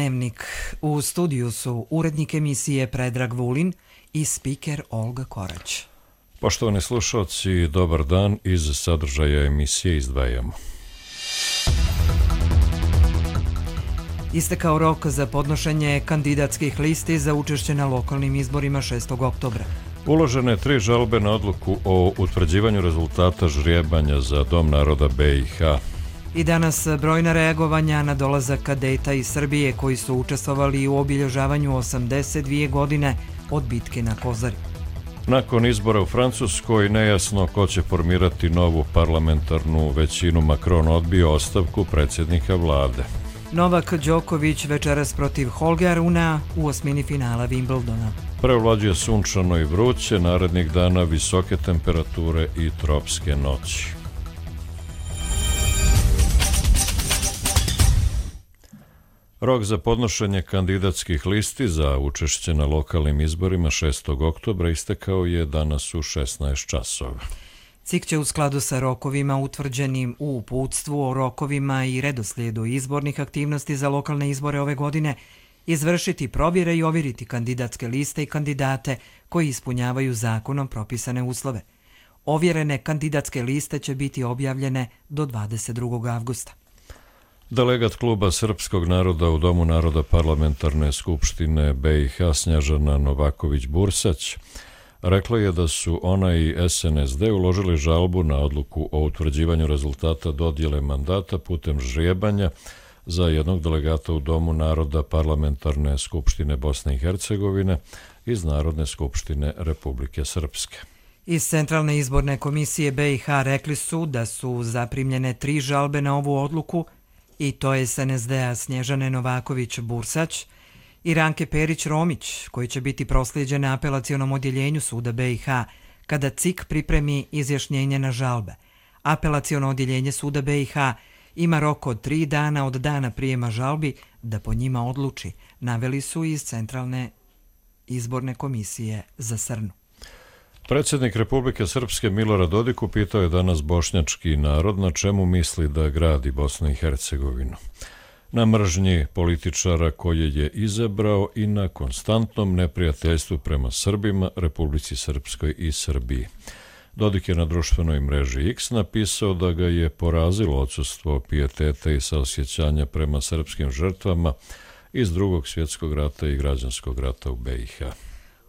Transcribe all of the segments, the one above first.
Dnevnik. U studiju su urednik emisije Predrag Vulin i spiker Olga Korać. Poštovani slušalci, dobar dan. Iz sadržaja emisije izdvajamo. Istekao rok za podnošenje kandidatskih listi za učešće na lokalnim izborima 6. oktobra. Uložene 3 žalbe na odluku o utvrđivanju rezultata žrijebanja za Dom naroda BiH. I danas brojna reagovanja na dolazak kadeta iz Srbije koji su učestvovali u obilježavanju 82 godine od bitke na Kozari. Nakon izbora u Francuskoj nejasno ko će formirati novu parlamentarnu većinu. Macron odbio ostavku predsjednika vlade. Novak Đoković večeras protiv Holgea Runa u osmini finala Wimbledona. Prevlađuje sunčano i vruće, narednih dana visoke temperature i tropske noći. Rok za podnošenje kandidatskih listi za učešće na lokalnim izborima 6. oktobra istekao je danas u 16 časova. CIK će u skladu sa rokovima utvrđenim u uputstvu o rokovima i redoslijedu izbornih aktivnosti za lokalne izbore ove godine izvršiti provjere i ovjeriti kandidatske liste i kandidate koji ispunjavaju zakonom propisane uslove. Ovjerene kandidatske liste će biti objavljene do 22. avgusta. Delegat kluba srpskog naroda u Domu naroda Parlamentarne skupštine BiH Snježana Novaković-Bursać rekla je da su ona i SNSD uložili žalbu na odluku o utvrđivanju rezultata dodjele mandata putem žrijebanja za jednog delegata u Domu naroda Parlamentarne skupštine Bosne i Hercegovine iz Narodne skupštine Republike Srpske. Iz Centralne izborne komisije BiH rekli su da su zaprimljene 3 žalbe na ovu odluku, i to je SNSD-a Snježane Novaković-Bursać i Ranke Perić-Romić, koji će biti proslijeđene apelacionom odjeljenju suda BiH kada CIK pripremi izjašnjenje na žalbe. Apelaciono odjeljenje suda BiH ima rok od 3 dana od dana prijema žalbi da po njima odluči, naveli su iz Centralne izborne komisije za Srnu. Predsjednik Republike Srpske Milorad Dodik upitao je danas bošnjački narod na čemu misli da gradi Bosnu i Hercegovinu. Na mržnji političara koje je izabrao i na konstantnom neprijateljstvu prema Srbima, Republici Srpskoj i Srbiji. Dodik je na društvenoj mreži X napisao da ga je porazilo odsustvo pijeteta i saosjećanja prema srpskim žrtvama iz Drugog svjetskog rata i građanskog rata u BiH.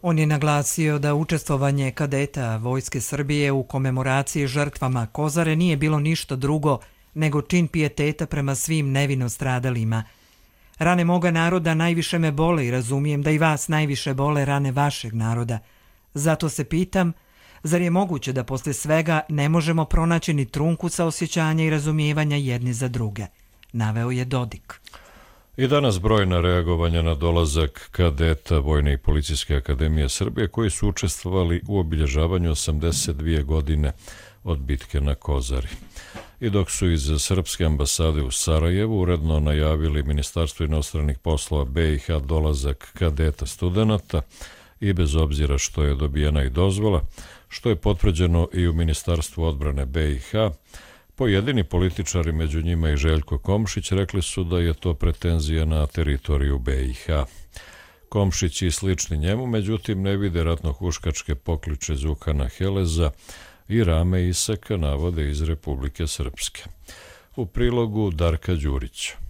On je naglasio da učestvovanje kadeta Vojske Srbije u komemoraciji žrtvama Kozare nije bilo ništa drugo nego čin pijeteta prema svim nevino stradalima. Rane moga naroda najviše me bole i razumijem da i vas najviše bole rane vašeg naroda. Zato se pitam, zar je moguće da posle svega ne možemo pronaći ni trunku saosjećanja i razumijevanja jedni za druge, naveo je Dodik. I danas brojna reagovanja na dolazak kadeta Vojne i policijske akademije Srbije koji su učestvovali u obilježavanju 82 godine od bitke na Kozari. I dok su iz Srpske ambasade u Sarajevu uredno najavili Ministarstvo inostranih poslova BiH dolazak kadeta studenata i bez obzira što je dobijena i dozvola, što je potvrđeno i u Ministarstvu odbrane BiH, pojedini političari, među njima i Željko Komšić, rekli su da je to pretenzija na teritoriju BiH. Komšić i slični njemu, međutim, ne vide ratnohuškačke pokliče Đukana Heleza i Rame Isaka, navode iz Republike Srpske. U prilogu Darka Đurića.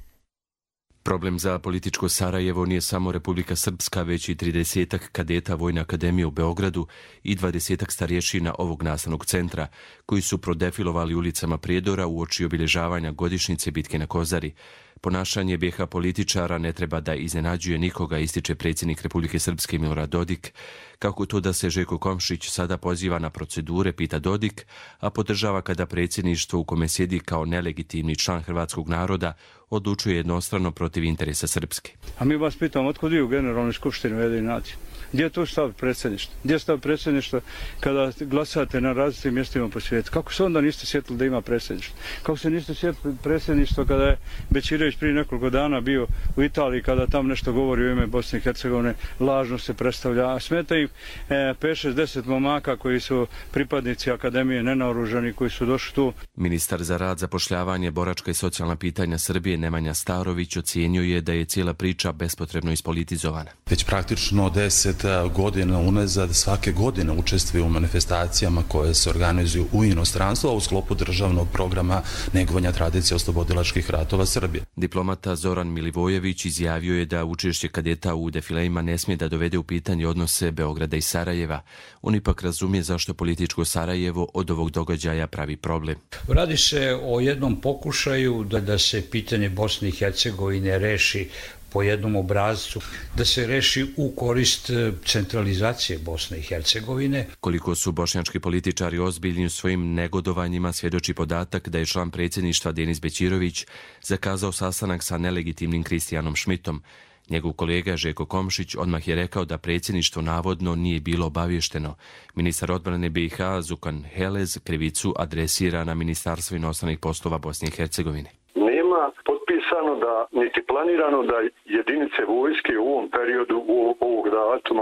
Problem za političko Sarajevo nije samo Republika Srpska, već i 30 kadeta Vojne akademije u Beogradu i 20 starješina ovog nastavnog centra, koji su prodefilovali ulicama Prijedora uoči obilježavanja godišnjice bitke na Kozari. Ponašanje BiH političara ne treba da iznenađuje nikoga, ističe predsjednik Republike Srpske Milorad Dodik. Kako to da se Željko Komšić sada poziva na procedure, pita Dodik, a podržava kada predsjedništvo u kome sjedi kao nelegitimni član hrvatskog naroda odlučuje jednostrano protiv interesa Srpske. A mi vas pitamo, otkud vi u Generalnoj skupštini Ujedinjenih nacija? Gdje je tu stav predsjedništva? Gdje je stav predsjedništva kada glasate na različitim mjestima po svijetu? Kako se onda niste sjetili da ima predsjedništvo? Kako se niste sjetili predsjedništva kada je Bećirović prije nekoliko dana bio u Italiji, kada tam nešto govori u ime Bosne i Hercegovine, lažno se predstavlja, a smeta im 5-6-10 momaka koji su pripadnici akademije nenaoružani, koji su došli tu. Ministar za rad, zapošljavanje, boračka i socijalna pitanja Srbije Nemanja Starović ocijenio je da je cijela priča bespotrebno ispolitizovana. Već praktično 10 godina unazad svake godine učestvuje u manifestacijama koje se organizuju u inostranstvu, a u sklopu državnog programa negovanja tradicije oslobodilačkih ratova Srbije. Diplomata Zoran Milivojević izjavio je da učešće kadeta u defilejima ne smije da dovede u pitanje odnose Beograda i Sarajeva. On ipak razumije zašto političko Sarajevo od ovog događaja pravi problem. Radi se o jednom pokušaju da se pitanje Bosne i Hercegovine reši po jednom obrazcu, da se reši u korist centralizacije Bosne i Hercegovine. Koliko su bošnjački političari ozbiljni u svojim negodovanjima svjedoči podatak da je član predsjedništva Denis Bećirović zakazao sastanak sa nelegitimnim Kristijanom Šmitom. Njegov kolega Željko Komšić odmah je rekao da predsjedništvo navodno nije bilo obavješteno. Ministar odbrane BiH Zukan Helez krivicu adresira na Ministarstvo inostranih poslova Bosne i Hercegovine. Nema potpisano da, niti planirano da jedinice vojske u ovom periodu,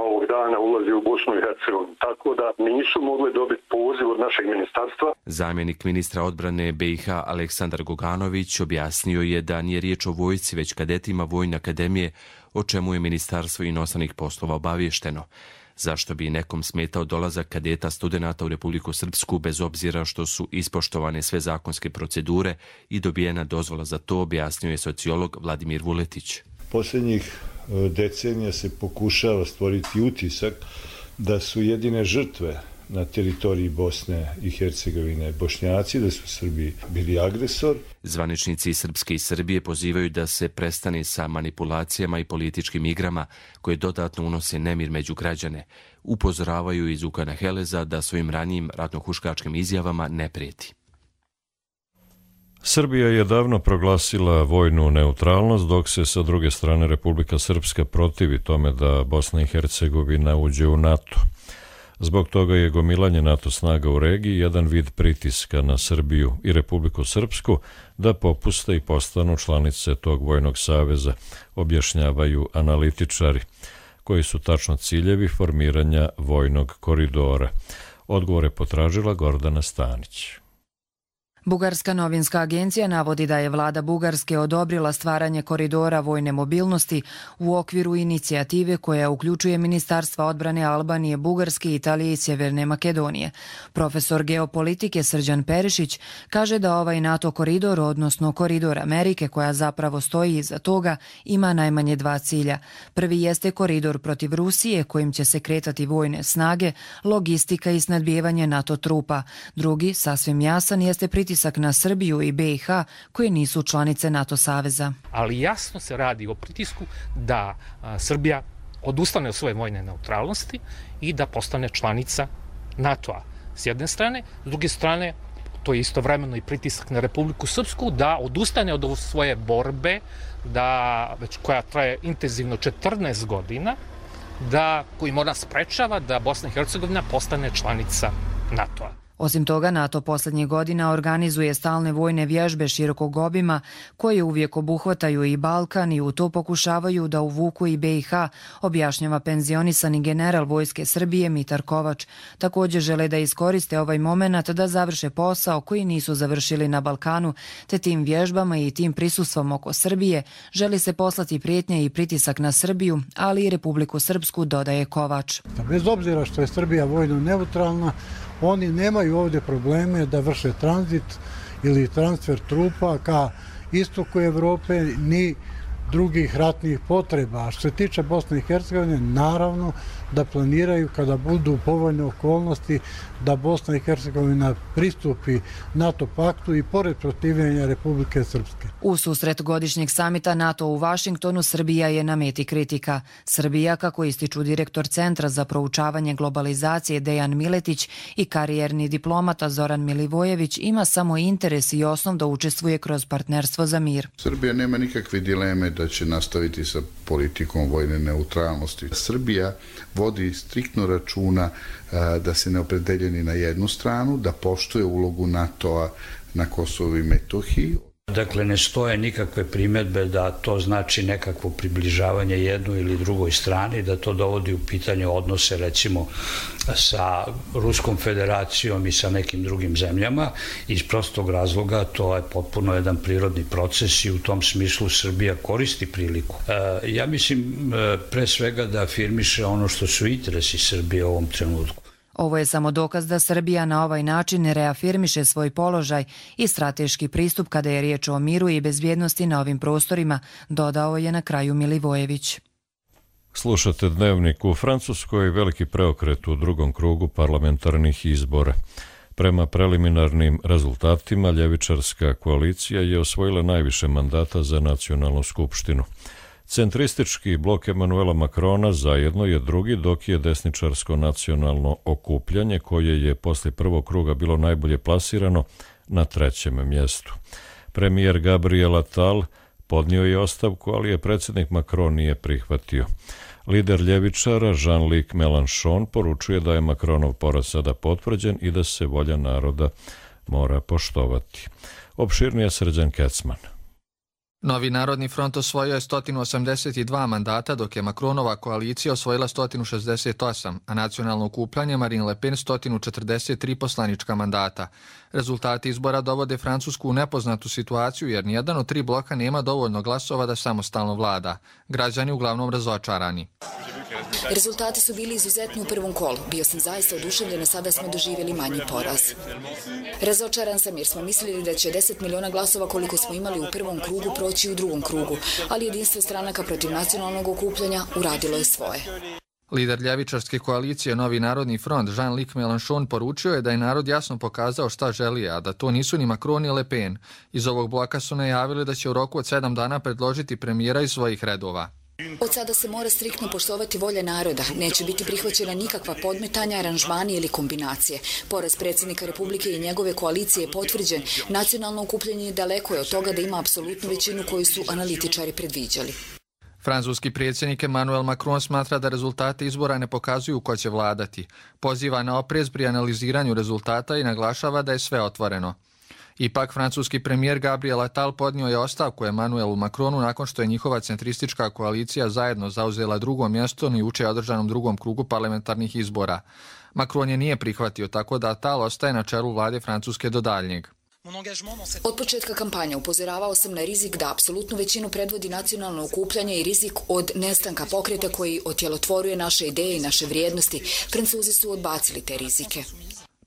ovog dana ulazi u Bosnu i Hercegovinu. Tako da nisu mogli dobiti poziv od našeg ministarstva. Zamjenik ministra odbrane BiH Aleksandar Goganović objasnio je da nije riječ o vojsci, već kadetima Vojne akademije, o čemu je Ministarstvo inostranih poslova obavješteno. Zašto bi nekom smetao dolazak kadeta studenata u Republiku Srpsku bez obzira što su ispoštovane sve zakonske procedure i dobijena dozvola za to, objasnio je sociolog Vladimir Vuletić. Posljednjih decenija se pokušava stvoriti utisak da su jedine žrtve na teritoriji Bosne i Hercegovine Bošnjaci, da su Srbi bili agresor. Zvaničnici Srpske i Srbije pozivaju da se prestane sa manipulacijama i političkim igrama koje dodatno unose nemir među građane. Upozoravaju iz Zukana Heleza da svojim ranijim ratnohuškačkim izjavama ne prijeti. Srbija je davno proglasila vojnu neutralnost, dok se sa druge strane Republika Srpska protivi tome da Bosna i Hercegovina uđe u NATO. Zbog toga je gomilanje NATO snaga u regiji jedan vid pritiska na Srbiju i Republiku Srpsku da popuste i postanu članice tog vojnog saveza, objašnjavaju analitičari, koji su tačno ciljevi formiranja vojnog koridora. Odgovor je potražila Gordana Stanić. Bugarska novinska agencija navodi da je vlada Bugarske odobrila stvaranje koridora vojne mobilnosti u okviru inicijative koja uključuje Ministarstva odbrane Albanije, Bugarske, Italije i Sjeverne Makedonije. Profesor geopolitike Srđan Perišić kaže da ovaj NATO koridor, odnosno koridor Amerike koja zapravo stoji iza toga, ima najmanje dva cilja. Prvi jeste koridor protiv Rusije kojim će se kretati vojne snage, logistika i snadbijevanje NATO trupa. Drugi, sasvim jasan, jeste pritisak na Srbiju i BiH koje nisu članice NATO saveza. Ali jasno se radi o pritisku da Srbija odustane od svoje vojne neutralnosti i da postane članica NATO-a. S jedne strane, s druge strane, to je istovremeno i pritisak na Republiku Srpsku da odustane od svoje borbe, koja traje intenzivno 14 godina, koji mora sprečava da Bosna i Hercegovina postane članica NATO-a. Osim toga, NATO posljednjih godina organizuje stalne vojne vježbe širokog obima koje uvijek obuhvataju i Balkan i u to pokušavaju da uvuku i BiH, objašnjava penzionisani general Vojske Srbije Mitar Kovač. Također žele da iskoriste ovaj moment da završe posao koji nisu završili na Balkanu, te tim vježbama i tim prisustvom oko Srbije želi se poslati prijetnje i pritisak na Srbiju, ali i Republiku Srpsku, dodaje Kovač. Bez obzira što je Srbija vojno neutralna, oni nemaju ovdje probleme da vrše tranzit ili transfer trupa ka istoku Evrope ni drugih ratnih potreba. A što se tiče Bosne i Hercegovine, naravno da planiraju kada budu povoljne okolnosti da Bosna i Hercegovina pristupi NATO paktu i pored protivljenja Republike Srpske. U susret godišnjeg samita NATO u Vašingtonu Srbija je na meti kritika. Srbija, kako ističu direktor Centra za proučavanje globalizacije Dejan Miletić i karijerni diplomata Zoran Milivojević, ima samo interes i osnov da učestvuje kroz partnerstvo za mir. Srbija nema nikakve dileme da će nastaviti sa politikom vojne neutralnosti. Srbija voli vodi striktno računa da se ne opredeljeni na jednu stranu, da poštuje ulogu NATO-a na Kosovu i Metohiji. Dakle, ne stoje nikakve primjedbe da to znači nekakvo približavanje jednoj ili drugoj strani, da to dovodi u pitanje odnose recimo sa Ruskom federacijom i sa nekim drugim zemljama. Iz prostog razloga to je potpuno jedan prirodni proces i u tom smislu Srbija koristi priliku. Ja mislim pre svega da afirmiše ono što su interesi Srbije u ovom trenutku. Ovo je samo dokaz da Srbija na ovaj način ne reafirmiše svoj položaj i strateški pristup kada je riječ o miru i bezbjednosti na ovim prostorima, dodao je na kraju Milivojević. Slušate Dnevnik. U Francuskoj veliki preokret u drugom krugu parlamentarnih izbora. Prema preliminarnim rezultatima, ljevičarska koalicija je osvojila najviše mandata za nacionalnu skupštinu. Centristički blok Emanuela Macrona zajedno je drugi, dok je desničarsko nacionalno okupljanje, koje je poslije prvog kruga bilo najbolje plasirano, na trećem mjestu. Premijer Gabriel Attal podnio je ostavku, ali je predsjednik Macron nije prihvatio. Lider ljevičara Jean-Luc Mélenchon poručuje da je Macronov poraz sada potvrđen i da se volja naroda mora poštovati. Opširnije Srđan Kecman. Novi Narodni front osvojio je 182 mandata, dok je Macronova koalicija osvojila 168, a nacionalno okupljanje Marine Le Pen 143 poslanička mandata. Rezultati izbora dovode Francusku u nepoznatu situaciju jer nijedan od tri bloka nema dovoljno glasova da samostalno vlada. Građani uglavnom razočarani. Rezultati su bili izuzetni u prvom kolu. Bio sam zaista oduševljen, a sada smo doživjeli manji poraz. Razočaran sam jer smo mislili da će 10 miliona glasova koliko smo imali u prvom krugu proći u drugom krugu, ali jedinstvo stranaka protiv nacionalnog okupljanja uradilo je svoje. Lider ljevičarske koalicije Novi Narodni front Jean-Luc Mélenchon poručio je da je narod jasno pokazao šta želi, a da to nisu ni Macron ni Le Pen. Iz ovog bloka su najavili da će u roku od 7 dana predložiti premijera iz svojih redova. Od sada se mora striktno poštovati volja naroda. Neće biti prihvaćena nikakva podmetanja, aranžmani ili kombinacije. Poraz predsjednika Republike i njegove koalicije je potvrđen. Nacionalno okupljanje daleko je od toga da ima apsolutnu većinu koju su analitičari predviđali. Francuski predsjednik Emmanuel Macron smatra da rezultate izbora ne pokazuju ko će vladati. Poziva na oprez pri analiziranju rezultata i naglašava da je sve otvoreno. Ipak, francuski premijer Gabriel Attal podnio je ostavku Emmanuelu Macronu nakon što je njihova centristička koalicija zajedno zauzela drugo mjesto na juče održanom drugom krugu parlamentarnih izbora. Macron je nije prihvatio, tako da Attal ostaje na čelu vlade Francuske do daljnjeg. Od početka kampanje upozoravao sam na rizik da apsolutnu većinu predvodi nacionalno okupljanje i rizik od nestanka pokreta koji otjelotvoruje naše ideje i naše vrijednosti. Francuzi su odbacili te rizike.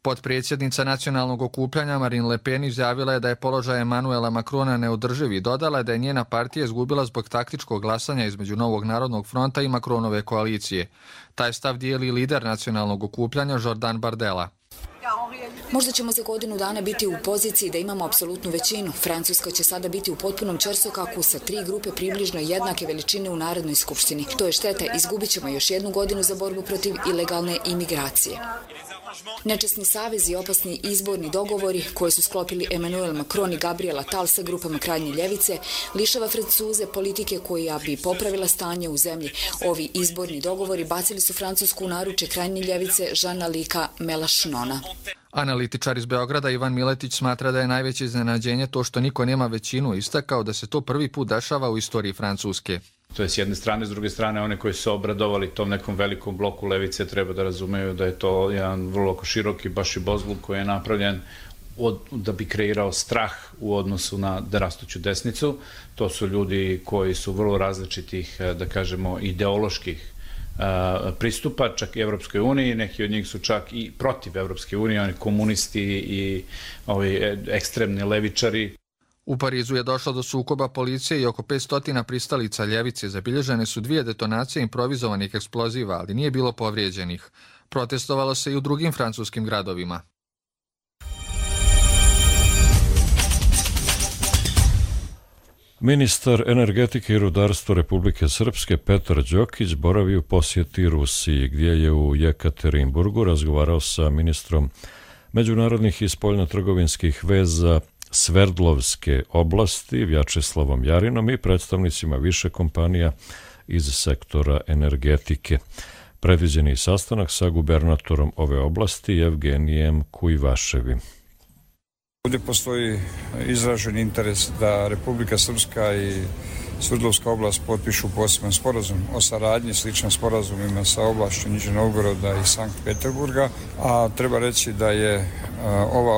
Potpredsjednica nacionalnog okupljanja Marine Le Pen izjavila je da je položaj Emmanuela Macrona neodrživ i dodala je da je njena partija izgubila zbog taktičkog glasanja između Novog Narodnog fronta i Macronove koalicije. Taj stav dijeli lider nacionalnog okupljanja Jordan Bardella. Možda ćemo za godinu dana biti u poziciji da imamo apsolutnu većinu. Francuska će sada biti u potpunom ćorsokaku sa 3 grupe približno jednake veličine u Narodnoj skupštini. To je šteta, izgubit ćemo još jednu godinu za borbu protiv ilegalne imigracije. Nečesni savezi i opasni izborni dogovori koje su sklopili Emmanuel Macron i Gabriel Attal sa grupama krajnje ljevice lišava Francuze politike koja bi popravila stanje u zemlji. Ovi izborni dogovori bacili su Francusku u naruče krajnje ljevice Jean-Luca Mélenchona. Analitičar iz Beograda Ivan Miletić smatra da je najveće iznenađenje to što niko nema većinu, istakao da se to prvi put dešava u istoriji Francuske. To je s jedne strane, s druge strane one koji su obradovali tom nekom velikom bloku levice treba da razumeju da je to jedan vrlo široki baš i bozluk koji je napravljen da bi kreirao strah u odnosu na rastuću desnicu. To su ljudi koji su vrlo različitih, da kažemo, ideoloških pristupa, čak i Evropskoj uniji, neki od njih su čak i protiv Evropske unije, oni komunisti i ovi ekstremni levičari. U Parizu je došlo do sukoba policije i oko 500 pristalica ljevice. Zabilježene su 2 detonacije improvizovanih eksploziva, ali nije bilo povrijeđenih. Protestovalo se i u drugim francuskim gradovima. Ministar energetike i rudarstva Republike Srpske Petar Đokić boravi u posjeti Rusiji, gdje je u Jekaterinburgu razgovarao sa ministrom međunarodnih i spoljnotrgovinskih veza Sverdlovske oblasti Vjačeslavom Jarinom i predstavnicima više kompanija iz sektora energetike. Predviđeni sastanak sa gubernatorom ove oblasti Evgenijem Kujvaševim. Ovdje postoji izražen interes da Republika Srpska i Sverdlovska oblast potpišu poseban sporazum o saradnji, sličan sporazumima sa oblašću Nižnjeg Novgoroda i Sankt Peterburga, a treba reći da je ova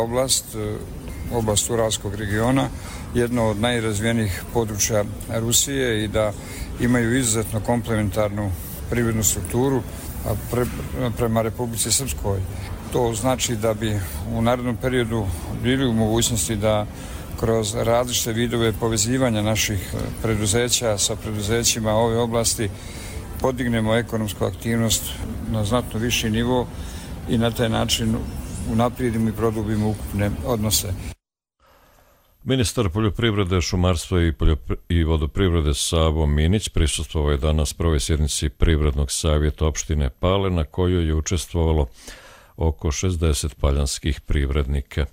oblast Uralskog regiona, jedno od najrazvijenijih područja Rusije i da imaju izuzetno komplementarnu privrednu strukturu prema Republici Srpskoj. To znači da bi u narednom periodu bili u mogućnosti da kroz različite vidove povezivanja naših preduzeća sa preduzećima ove oblasti podignemo ekonomsku aktivnost na znatno viši nivo i na taj način unaprijedimo i produbimo ukupne odnose. Ministar poljoprivrede, šumarstva i vodoprivrede Savo Minić prisustvovao je danas prvoj sjednici Privrednog savjeta opštine Pale, na kojoj je učestvovalo oko 60 paljanskih privrednika.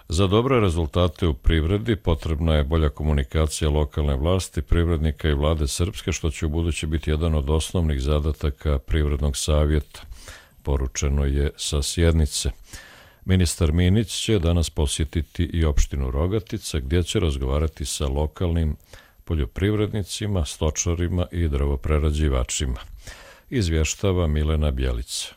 Za dobre rezultate u privredi potrebna je bolja komunikacija lokalne vlasti, privrednika i vlade Srpske, što će u buduće biti jedan od osnovnih zadataka Privrednog savjeta, poručeno je sa sjednice. Ministar Minić će danas posjetiti i opštinu Rogatica, gdje će razgovarati sa lokalnim poljoprivrednicima, stočarima i drvoprerađivačima. Izvještava Milena Bjelica.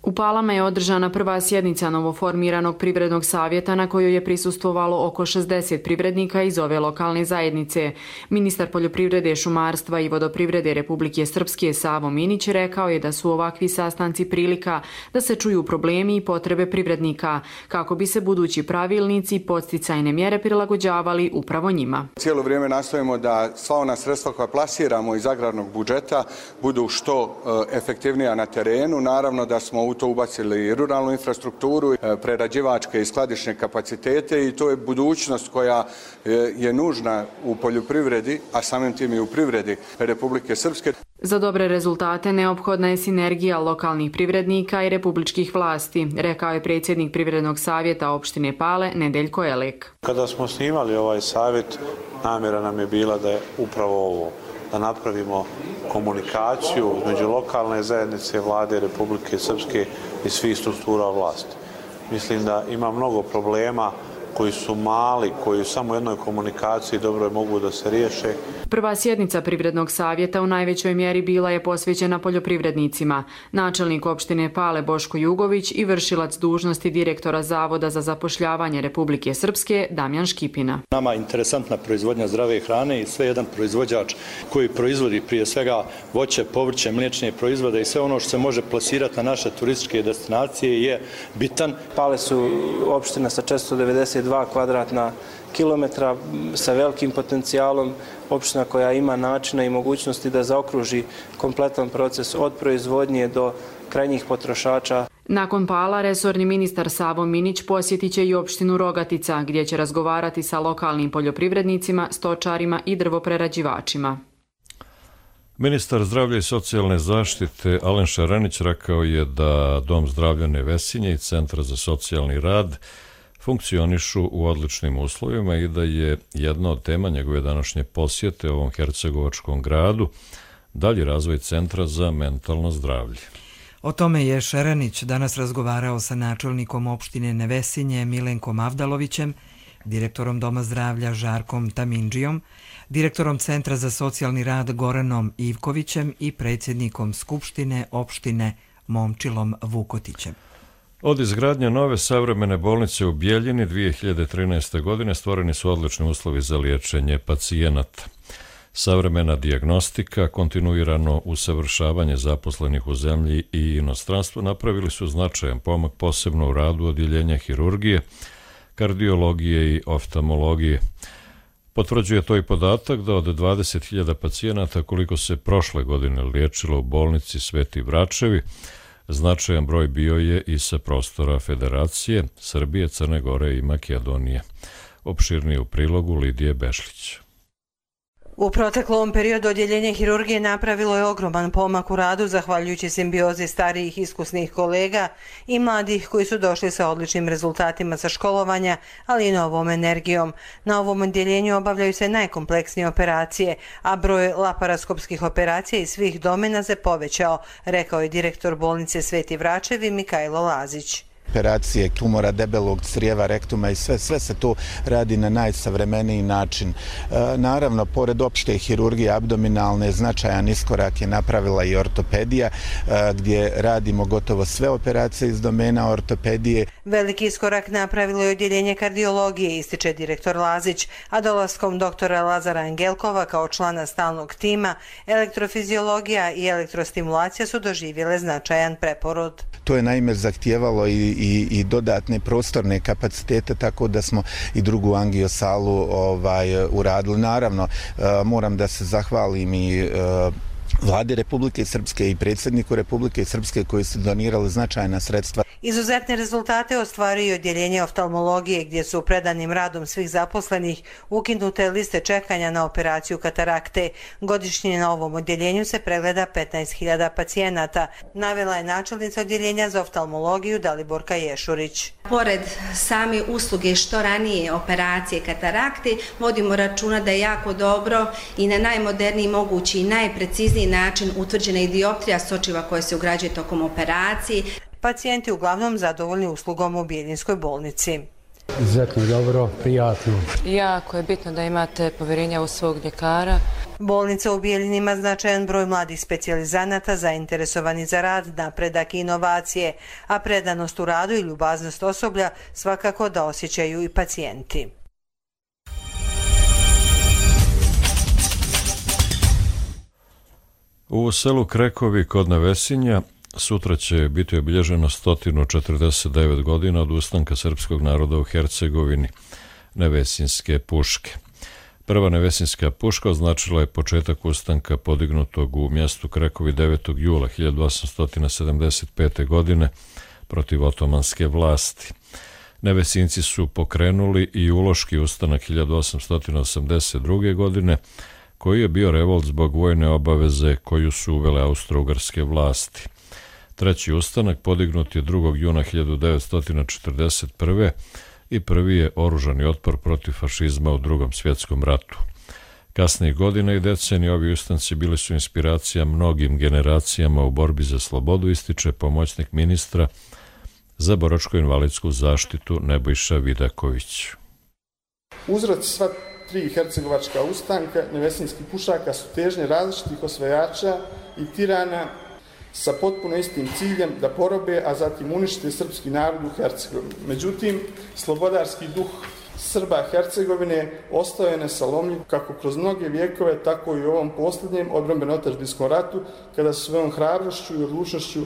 U Palama je održana prva sjednica novoformiranog privrednog savjeta na kojoj je prisustvovalo oko 60 privrednika iz ove lokalne zajednice. Ministar poljoprivrede, šumarstva i vodoprivrede Republike Srpske Savo Minić rekao je da su ovakvi sastanci prilika da se čuju problemi i potrebe privrednika, kako bi se budući pravilnici i podsticajne mjere prilagođavali upravo njima. Cijelo vrijeme nastojimo da sva ona sredstva koja plasiramo iz agrarnog budžeta budu što efektivnija na terenu. Naravno da smo u to ubacili i ruralnu infrastrukturu, prerađivačke i skladišne kapacitete i to je budućnost koja je nužna u poljoprivredi, a samim tim i u privredi Republike Srpske. Za dobre rezultate neophodna je sinergija lokalnih privrednika i republičkih vlasti, rekao je predsjednik Privrednog savjeta opštine Pale Nedeljko Elek. Kada smo snimali ovaj savjet, namjera nam je bila da je upravo ovo, da napravimo komunikaciju između lokalne zajednice, vlade Republike Srpske i svih struktura vlasti. Mislim da ima mnogo problema koji su mali, koji u samo jednoj komunikaciji dobro mogu da se riješe. Prva sjednica Privrednog savjeta u najvećoj mjeri bila je posvećena poljoprivrednicima. Načelnik opštine Pale Boško Jugović i vršilac dužnosti direktora Zavoda za zapošljavanje Republike Srpske Damjan Škipina. Nama je interesantna proizvodnja zdrave hrane i sve jedan proizvođač koji proizvodi prije svega voće, povrće, mliječne proizvode i sve ono što se može plasirati na naše turističke destinacije je bitan. Pale su opština sa 492 kvadratna kilometra sa velikim potencijalom, opština koja ima načina i mogućnosti da zaokruži kompletan proces od proizvodnje do krajnjih potrošača. Nakon Pala, resorni ministar Savo Minić posjetit će i opštinu Rogatica, gdje će razgovarati sa lokalnim poljoprivrednicima, stočarima i drvoprerađivačima. Ministar zdravlja i socijalne zaštite Alen Šarenić rekao je da Dom zdravlja Nevesinje i Centar za socijalni rad funkcionišu u odličnim uslovima i da je jedna od tema njegove današnje posjete ovom hercegovačkom gradu dalji razvoj Centra za mentalno zdravlje. O tome je Šerenić danas razgovarao sa načelnikom opštine Nevesinje Milenkom Avdalovićem, direktorom Doma zdravlja Žarkom Tamindžijom, direktorom Centra za socijalni rad Goranom Ivkovićem i predsjednikom Skupštine opštine Momčilom Vukotićem. Od izgradnje nove savremene bolnice u Bijeljini 2013. godine stvoreni su odlični uslovi za liječenje pacijenata. Savremena dijagnostika, kontinuirano usavršavanje zaposlenih u zemlji i inostranstvu napravili su značajan pomak posebno u radu odjeljenja hirurgije, kardiologije i oftalmologije. Potvrđuje to i podatak da od 20.000 pacijenata koliko se prošle godine liječilo u bolnici Sveti Vračevi, značajan broj bio je i sa prostora Federacije, Srbije, Crne Gore i Makedonije. Opširnije u prilogu Lidije Bešlić. U proteklom periodu odjeljenje hirurgije napravilo je ogroman pomak u radu zahvaljujući simbiozi starijih iskusnih kolega i mladih koji su došli sa odličnim rezultatima sa školovanja, ali i novom energijom. Na ovom odjeljenju obavljaju se najkompleksnije operacije, a broj laparoskopskih operacija iz svih domena se povećao, rekao je direktor bolnice Sveti Vračevi Mikajlo Lazić. Operacije tumora debelog crijeva, rektuma i sve se to radi na najsavremeniji način. Naravno, pored opšte hirurgije abdominalne, značajan iskorak je napravila i ortopedija, gdje radimo gotovo sve operacije iz domena ortopedije. Veliki iskorak napravilo je odjeljenje kardiologije, ističe direktor Lazić, a dolaskom doktora Lazara Angelkova kao člana stalnog tima, elektrofiziologija i elektrostimulacija su doživjele značajan preporod. To je naime zahtijevalo i dodatne prostorne kapacitete, tako da smo i drugu angiosalu uradili. Naravno, moram da se zahvalim i Vlade Republike Srpske i predsjedniku Republike Srpske koji su donirali značajna sredstva. Izuzetne rezultate ostvaruje odjeljenje oftalmologije gdje su predanim radom svih zaposlenih ukinute liste čekanja na operaciju katarakte. Godišnje na ovom odjeljenju se pregleda 15.000 pacijenata, navela je načelnica odjeljenja za oftalmologiju Daliborka Ješurić. Pored same usluge što ranije operacije katarakte, vodimo računa da je jako dobro i na najmoderniji mogući i najprecizniji način utvrđena i dioptrija sočiva koja se ugrađuje tokom operacije. Pacijenti uglavnom zadovoljni uslugom u Bjeljinskoj bolnici. Izuzetno dobro, prijatno. Jako je bitno da imate povjerenja u svog ljekara. Bolnica u Bijeljini ima značajan broj mladih specijalizanata zainteresovani za rad, napredak i inovacije, a predanost u radu i ljubaznost osoblja svakako da osjećaju i pacijenti. U selu Krekovi kod Nevesinja sutra će biti obilježeno 149 godina od ustanka srpskog naroda u Hercegovini, Nevesinske puške. Prva nevesinska puška označila je početak ustanka podignutog u mjestu Krekovi 9. jula 1875. godine protiv otomanske vlasti. Nevesinci su pokrenuli i uloški ustanak 1882. godine, koji je bio revolt zbog vojne obaveze koju su uvele austro-ugarske vlasti. Treći ustanak podignut je 2. juna 1941. i prvi je oružani otpor protiv fašizma u Drugom svjetskom ratu. Kasnijih godina i decenije ovi ustanci bili su inspiracija mnogim generacijama u borbi za slobodu, ističe pomoćnik ministra za boračko-invalidsku zaštitu Nebojša Vidaković. Uzroci sva tri hercegovačka ustanka nevesinskih pušaka su težnje različitih osvajača i tirana sa potpuno istim ciljem da porobe, a zatim unište srpski narod u Hercegovini. Međutim, slobodarski duh Srba Hercegovine ostao je nesalomljiv kako kroz mnoge vijekove, tako i u ovom posljednjem odbrambeno-otadžbinskom ratu, kada su svojom hrabrošću i odlučnošću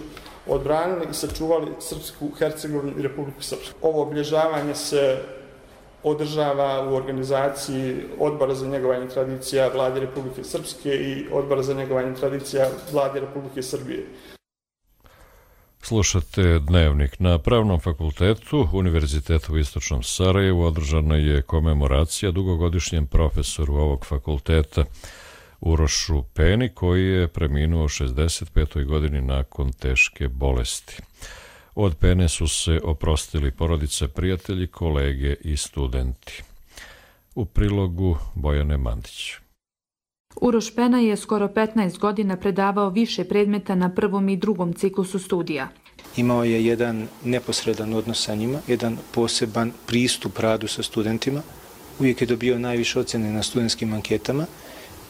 odbranili i sačuvali Srpsku Hercegovinu i Republiku Srpsku. Ovo obilježavanje se održava u organizaciji Odbora za njegovanje tradicija Vlade Republike Srpske i Odbora za njegovanje tradicija Vlade Republike Srbije. Slušate Dnevnik. Na Pravnom fakultetu Univerziteta u Istočnom Sarajevu održana je komemoracija dugogodišnjem profesoru ovog fakulteta Urošu Peni, koji je preminuo u 65. godini nakon teške bolesti. Od Pene su se oprostili porodice, prijatelji, kolege i studenti. U prilogu Bojane Mandić. Uroš Pena je skoro 15 godina predavao više predmeta na prvom i drugom ciklusu studija. Imao je jedan neposredan odnos sa njima, jedan poseban pristup radu sa studentima. Uvijek je dobio najviše ocjene na studentskim anketama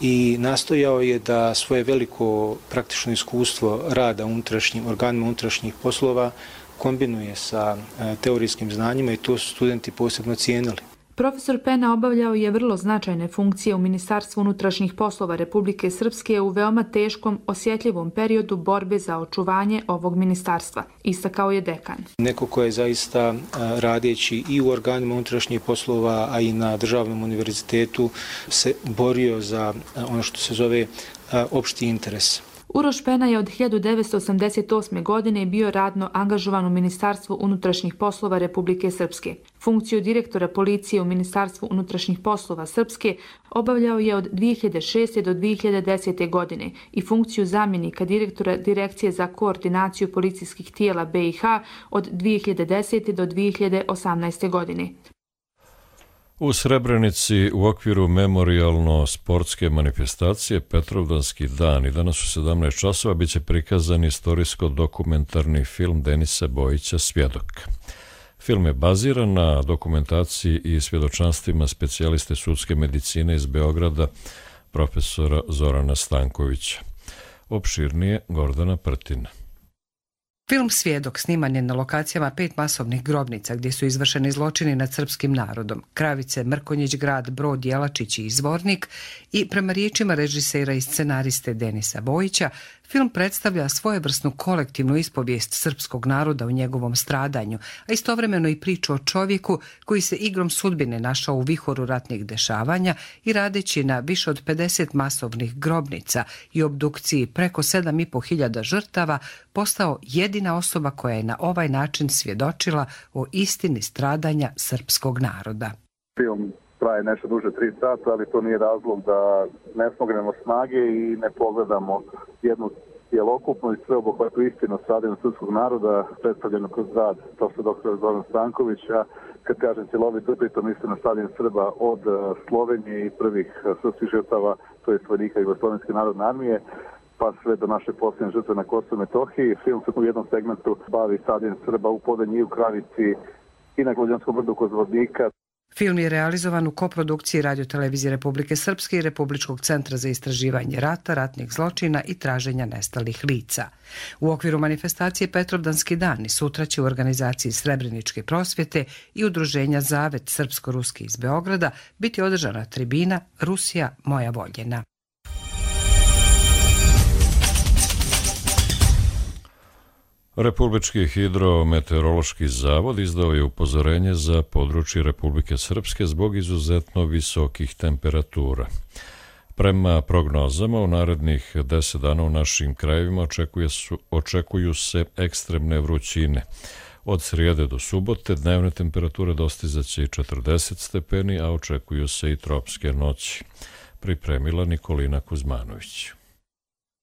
i nastojao je da svoje veliko praktično iskustvo rada u organima unutrašnjih poslova kombinuje sa teorijskim znanjima i to su studenti posebno cijenili. Profesor Pena obavljao je vrlo značajne funkcije u Ministarstvu unutrašnjih poslova Republike Srpske u veoma teškom, osjetljivom periodu borbe za očuvanje ovog ministarstva, istakao je dekan. Neko ko je zaista radeći i u organima unutrašnjih poslova, a i na državnom univerzitetu se borio za ono što se zove opšti interes. Uroš Pena je od 1988. godine bio radno angažovan u Ministarstvu unutrašnjih poslova Republike Srpske. Funkciju direktora policije u Ministarstvu unutrašnjih poslova Srpske obavljao je od 2006. do 2010. godine i funkciju zamjenika direktora Direkcije za koordinaciju policijskih tijela BiH od 2010. do 2018. godine. U Srebrenici u okviru memorijalno-sportske manifestacije Petrovdanski dan i danas u 17 časova biće prikazan istorijsko-dokumentarni film Denisa Bojića Svjedok. Film je baziran na dokumentaciji i svjedočanstvima specijaliste sudske medicine iz Beograda, profesora Zorana Stankovića. Opširnije Gordana Prtina. Film Svjedok sniman je na lokacijama 5 masovnih grobnica gdje su izvršeni zločini nad srpskim narodom. Kravice, Mrkonjić grad, Brod, Jelačić i Izvornik i prema riječima režisera i scenariste Denisa Bojića, film predstavlja svojevrsnu kolektivnu ispovijest srpskog naroda u njegovom stradanju, a istovremeno i priču o čovjeku koji se igrom sudbine našao u vihoru ratnih dešavanja i radeći na više od 50 masovnih grobnica i obdukciji preko 7.500 žrtava, postao jedina osoba koja je na ovaj način svjedočila o istini stradanja srpskog naroda. Film traje nešto duže 3 sata, ali to nije razlog da ne smognemo snage i ne pogledamo jednu cjelokupnu i sveobuhvatnu istinu stradanja srpskog naroda predstavljeno kroz rad profesora doktora Zorana Stankovića. Kad kažem cjelovito, pritom mislim na stradanje Srba od Slovenije i prvih srpskih žrtava, to je vojnika Jugoslovenske narodne armije, pa sve do naše posljednje žrtve na Kosovu i Metohiji. Film se u jednom segmentu bavi stradanje Srba u Podanji i u Kravici i na Glodjanskom brdu kod Zvornika. Film je realizovan u koprodukciji Radio-televizije Republike Srpske i Republičkog centra za istraživanje rata, ratnih zločina i traženja nestalih lica. U okviru manifestacije Petrovdanski dan i sutra će u organizaciji Srebreničke prosvjete i udruženja Zavet Srpsko-Ruski iz Beograda biti održana tribina Rusija moja voljena. Republički hidrometeorološki zavod izdao je upozorenje za područje Republike Srpske zbog izuzetno visokih temperatura. Prema prognozama, u narednih 10 dana u našim krajevima očekuju se ekstremne vrućine. Od srijede do subote dnevne temperature dostizaće i 40 stepeni, a očekuju se i tropske noći. Pripremila Nikolina Kuzmanović.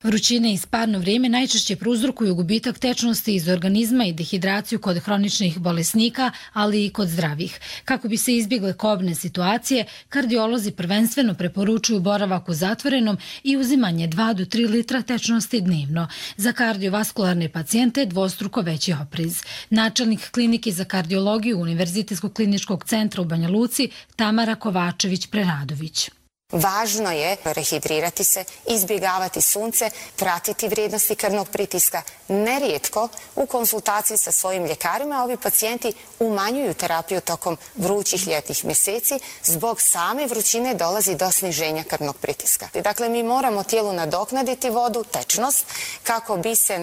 Vrućine i sparno vrijeme najčešće prouzrokuju gubitak tečnosti iz organizma i dehidraciju kod hroničnih bolesnika, ali i kod zdravih. Kako bi se izbjegle kobne situacije, kardiolozi prvenstveno preporučuju boravak u zatvorenom i uzimanje 2 do 3 litra tečnosti dnevno. Za kardiovaskularne pacijente dvostruko veći oprez. Načelnik klinike za kardiologiju Univerzitetskog kliničkog centra u Banja Luci Tamara Kovačević-Preradović. Važno je rehidrirati se, izbjegavati sunce, pratiti vrijednosti krvnog pritiska. Nerijetko u konsultaciji sa svojim ljekarima ovi pacijenti umanjuju terapiju tokom vrućih ljetnih mjeseci. Zbog same vrućine dolazi do sniženja krvnog pritiska. Dakle, mi moramo tijelu nadoknaditi vodu, tečnost, kako bi se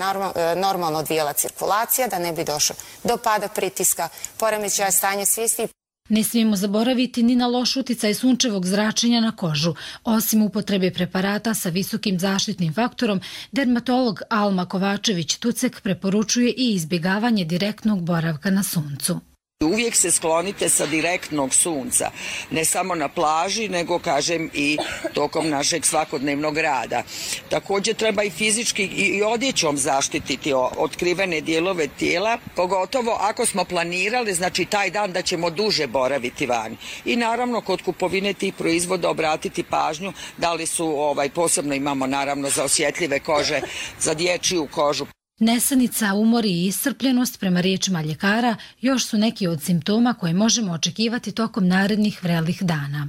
normalno odvijala cirkulacija, da ne bi došlo do pada pritiska, poremećaja stanja svijesti. Ne smijemo zaboraviti ni na loš uticaj sunčevog zračenja na kožu. Osim upotrebe preparata sa visokim zaštitnim faktorom, dermatolog Alma Kovačević-Tucek preporučuje i izbjegavanje direktnog boravka na suncu. Uvijek se sklonite sa direktnog sunca, ne samo na plaži, nego kažem i tokom našeg svakodnevnog rada. Također treba i fizički i odjećom zaštititi otkrivene dijelove tijela, pogotovo ako smo planirali, znači taj dan da ćemo duže boraviti vani. I naravno kod kupovine tih proizvoda obratiti pažnju da li su, posebno imamo naravno za osjetljive kože, za dječju kožu. Nesanica, umor i iscrpljenost, prema riječima ljekara, još su neki od simptoma koje možemo očekivati tokom narednih vrelih dana.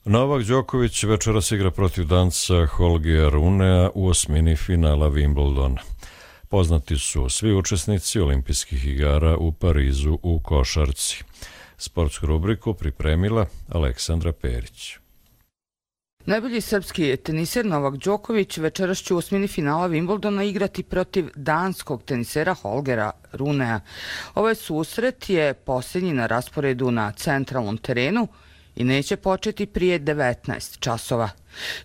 Novak Đoković večeras igra protiv Danca Holgea Runea u osmini finala Wimbledona. Poznati su svi učesnici olimpijskih igara u Parizu u košarci. Sportsku rubriku pripremila Aleksandra Perić. Najbolji srpski teniser Novak Đoković večeras će u osmini finala Wimbledona igrati protiv danskog tenisera Holgera Runea. Ovaj susret je posljednji na rasporedu na centralnom terenu i neće početi prije 19 časova.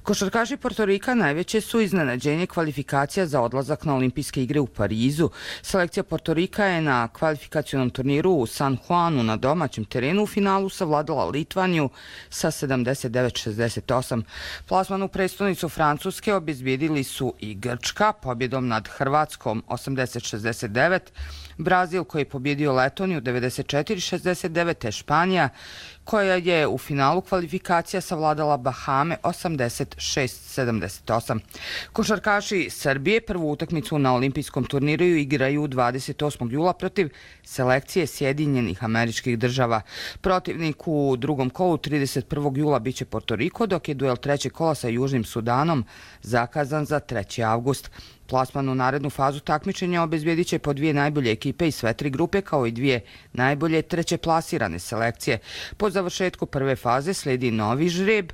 Košarkaši Portorika najveće su iznenađenje kvalifikacija za odlazak na olimpijske igre u Parizu. Selekcija Portorika je na kvalifikacionom turniru u San Juanu na domaćem terenu u finalu savladala Litvaniju sa 79-68. Plasman u prestonicu Francuske obezbijedili su i Grčka pobjedom nad Hrvatskom 80-69, Brazil koji je pobjedio Letoniju 94-69, te Španija koja je u finalu kvalifikacija savladala Bahame 86-78. Košarkaši Srbije prvu utakmicu na olimpijskom turniru igraju 28. jula protiv selekcije Sjedinjenih Američkih Država. Protivnik u drugom kolu 31. jula biće Portoriko, dok je duel trećeg kola sa Južnim Sudanom zakazan za 3. avgust. Plasman u narednu fazu takmičenja obezbijedit će po 2 najbolje ekipe iz sve 3 grupe, kao i 2 najbolje treće plasirane selekcije. Po završetku prve faze slijedi novi žreb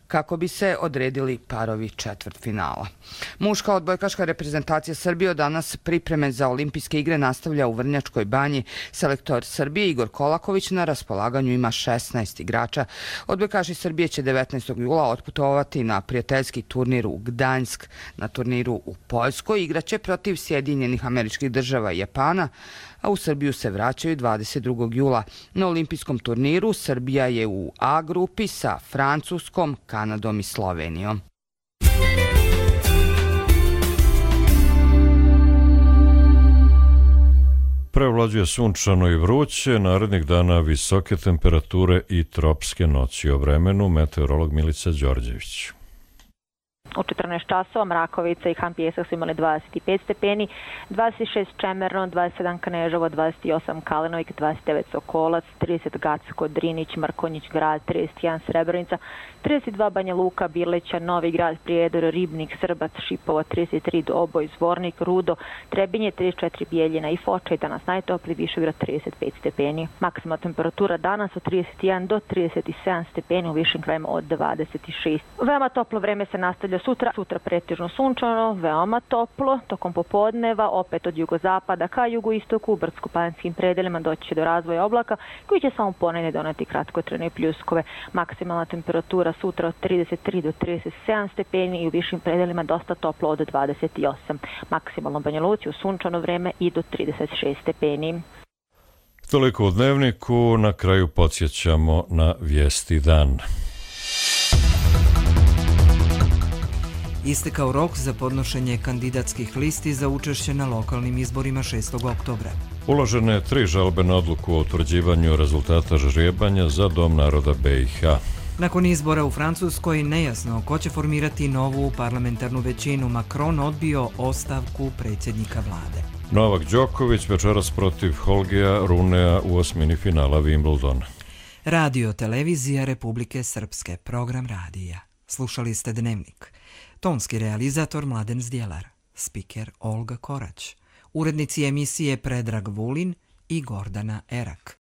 kako bi se odredili parovi četvrtfinala. Muška odbojkaška reprezentacija Srbije od danas pripreme za olimpijske igre nastavlja u Vrnjačkoj Banji. Selektor Srbije Igor Kolaković na raspolaganju ima 16 igrača. Odbojkaši Srbije će 19. jula otputovati na prijateljski turnir u Gdanjsk. Na turniru u Poljskoj igraće protiv Sjedinjenih Američkih Država i Japana, a u Srbiju se vraćaju 22. jula. Na olimpijskom turniru Srbija je u A grupi sa Francuskom, Kanadom i Slovenijom. Prevlađuje sunčano i vruće, narednih dana visoke temperature i tropske noći. O vremenu meteorolog Milica Đorđević. U 14 časova Mrakovica i Han Pjesak su imali 25 stepeni, 26 Čemerno, 27 Kneževo, 28 Kalinovik, 29 Sokolac, 30 Gacko, Drinić, Mrkonjić grad, 31 Srebrenica, 32 Banja Luka, Birleća, Novi grad, Prijedor, Ribnik, Srbac, Šipovo, 33 Doboj, Zvornik, Rudo, Trebinje, 34 Bijeljina i Foča i danas najtopli Višegrad 35 stepeni. Maksimalna temperatura danas od 31 do 37 stepeni, u višim krajima od 26. Veoma toplo vreme se nastavlja sutra pretežno sunčano, veoma toplo, tokom popodneva, opet od jugozapada ka jugoistoku, u brdsko-planinskim predelima doći će do razvoja oblaka koji će samo ponedjeljak doneti kratkotrajne pljuskove. Maksimalna temperatura sutra od 33 do 37 stepeni i u višim predelima dosta toplo od 28. Maksimalno Banja Luci u sunčano vreme i do 36 stepeni. Toliko u dnevniku, na kraju podsjećamo na vijesti dan. Istekao rok za podnošenje kandidatskih listi za učešće na lokalnim izborima 6. oktobra. Uložene je 3 žalbe na odluku o utvrđivanju rezultata žrijebanja za Dom naroda BiH. Nakon izbora u Francuskoj nejasno ko će formirati novu parlamentarnu većinu. Macron odbio ostavku predsjednika vlade. Novak Đoković večeras protiv Holgea Runea u osmini finala Wimbledona. Radio televizija Republike Srpske, program radija. Slušali ste Dnevnik. Tonski realizator Mladen Zdjelar, spiker Olga Korać, urednici emisije Predrag Vulin i Gordana Erak.